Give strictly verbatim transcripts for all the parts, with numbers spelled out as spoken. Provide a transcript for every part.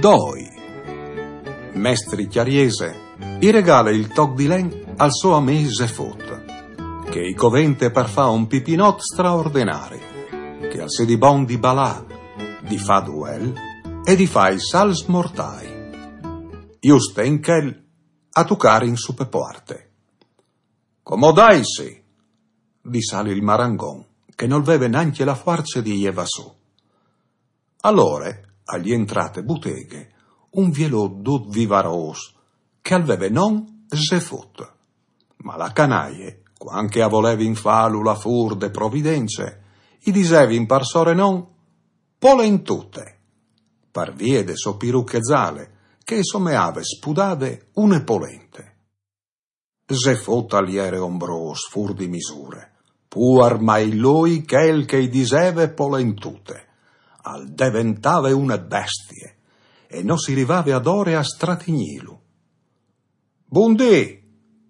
Doi. Mestri Cjariese i regale il toc di len al so amì Zefot, che i covente par fà un pipinot straordenari, che al sedi bon di balà, di fà duel e di fà i salts mortai. Juste in chel a tucarin su pe puarte. Comodaitsi, dissal il marangon, che nol veve nancje la fuarce di jevà su. Alore al jentrà te buteghe un vielot dut vivarôs, che al veve non Zefot. Ma la canaie, cuant che a volevin fâlu lâ fûr de providence, i disevin par sorenon Polentute, par vie de sô piruche zale, che e someave spudade une polente. Zefot al jere ombrôs fûr di misure, puar mai lui chel che i diseve Polentute. Al deventave une bestie, e no si rivave adore a stratignilu. Bundì,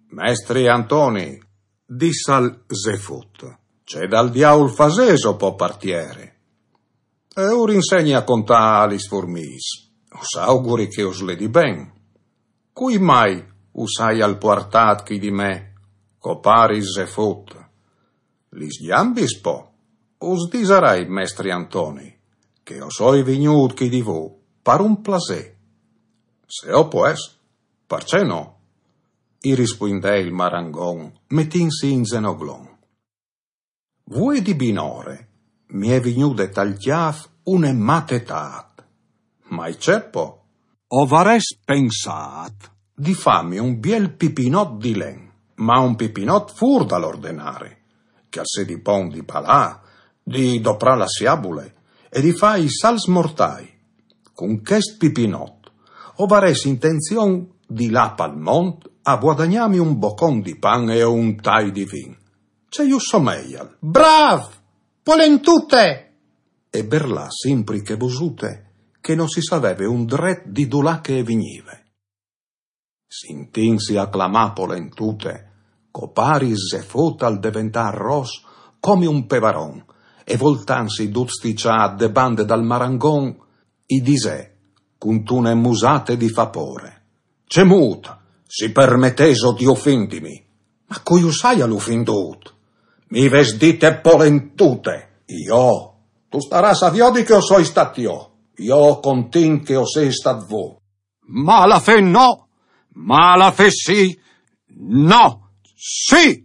mestri Antoni, dissal Zefot, ce dal diaul fasêso po par tiere? E ur insegni a contâ a lis furmîs, us auguri che us ledi ben. Cui mai us aial puartât chi di me, copari Zefot? Lis gjambis po, us disarai, mestri Antoni, che o soi vignût chi di vô par un plasê. Se o pues, parcè no? I rispuindè il marangon, metintsi in zenoglon. Vuê di binore mi è vignude tal cjâf une matetât. Ma i ce po? O varès pensât di fâmi un biel pipinot di len, ma un pipinot fûr dal ordenari, che al sedi bon di balâ, di doprâ la siabule e di fâ i salts mortai. Cun chest pipinot o varès intenzion di lâ pal mont a vuadagnâmi un bocon di pan e un tai di vin. Ce ju someial? Brâf! Polentute! E berlà simpri chê vosute, che no si saveve un dret di dulà che e vignive. Sintintsi a clamâ Polentute, copari Zefot al deventà ros come un pevaron, e voltantsi dut stiçât de bande dal marangon, i disè, cuntune musate di fâ pôre: Cemût, si permetêso di ufindimi? Ma cui us aial ufindût? Mi vês dite Polentute, jo? Tu starâs a viodi che o soi stât jo, jo o contint che o sês stât vô. Malafè no, malafè sì, no, sì!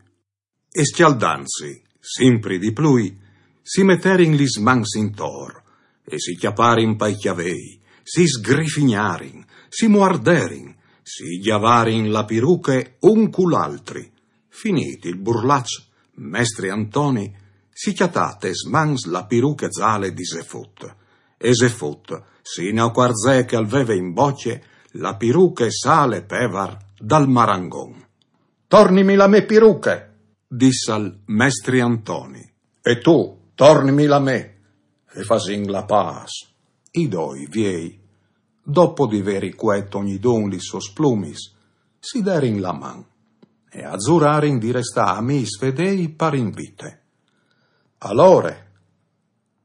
E scjaldantsi simpri di plui, si meterin lis mans intor, e si cjaparin pai cjavei, si sgrifignarin, si muarderin, si gjavarin la piruche un cul altri. Finît il burlaç, mestri Antoni si cjatà tes mans la piruche zale di Zefot, e Zefot si inacuarzè che al veve in bocje la piruche sale pevar dal marangon. Tornimi la mê piruche, dissal mestri Antoni. E tu, tornimi la mê, e fasìn la pâs. I doi viei, dopo di vê ricuet ognidun lis sôs plumis, si derin la man e a zurarin di restâ amîs fedêi par in vite. Alore,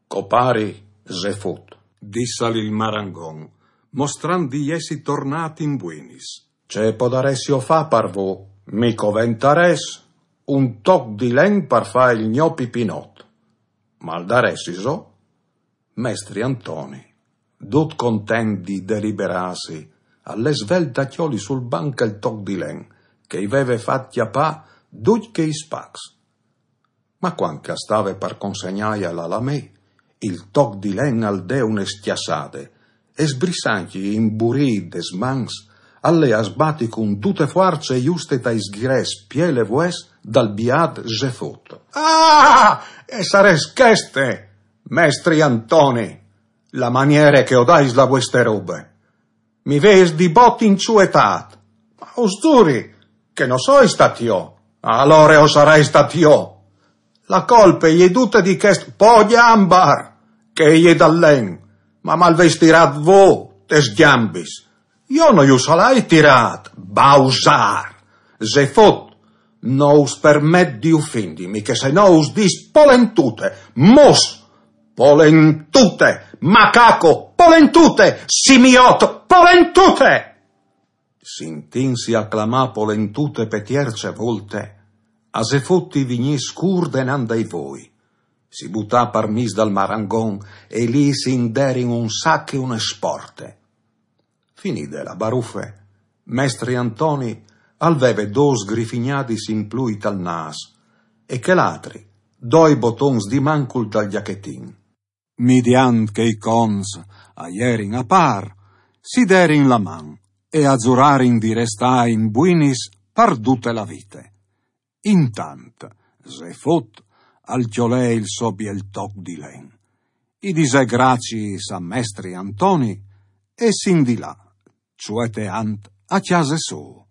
copari Zefot, dissal il marangon, mostrant di jessi tornât in buinis, ce podaressio fâ par vô? Mi coventarès un toc di len par fâ il gno pipinot. Mal daressiso? Mestri Antoni, dut content di deliberâsi, al lè svelt a cjoli sul banc il toc di len, che i veve fat cjapâ ducj chei spacs. Ma cuant che al stave par consegnâjal a la mê, il toc di len al dè une scjassade, e sbrissantji imburît des mans, al lè a sbati cun dute fuarce juste tai sghireçs pielevûts dal biât Zefot. Ah! E sarès cheste, mestri Antoni, la maniere che o dais la vueste robe. Mi vês di bot inçuetât. Ma us zuri che no soi stât jo. Alore o sarai stât jo. La colpe e je dute di chest po gjambar, che e je dal len, ma mal vês tirât vô tes gjambis. Jo no ju salai tirât, bausâr. Zefot, no us permet di ufindimi, che se no us dîs polentute, mos! Polentute, macaco, polentute, simiot, polentute! Sintinsi a clamà polentute pe tierce volte, a Zefot i vignì scur denant dai voi. Si butà par mis dal marangon e li si inderin un sac e une sporte. Finide la barufe, mestri Antoni al veve dôs grifignadis in plui tal nâs e chel altri doi botons di mancul tal giachetin. Midiant che i conts a jerin a pâr, si derin la man e a zurarin di restâ in buinis par dute la vite. Intant, Zefot al cjolè il so biel toc di len. I disè graciis a mestri Antoni e s'indilà, zueteant a cjase sô.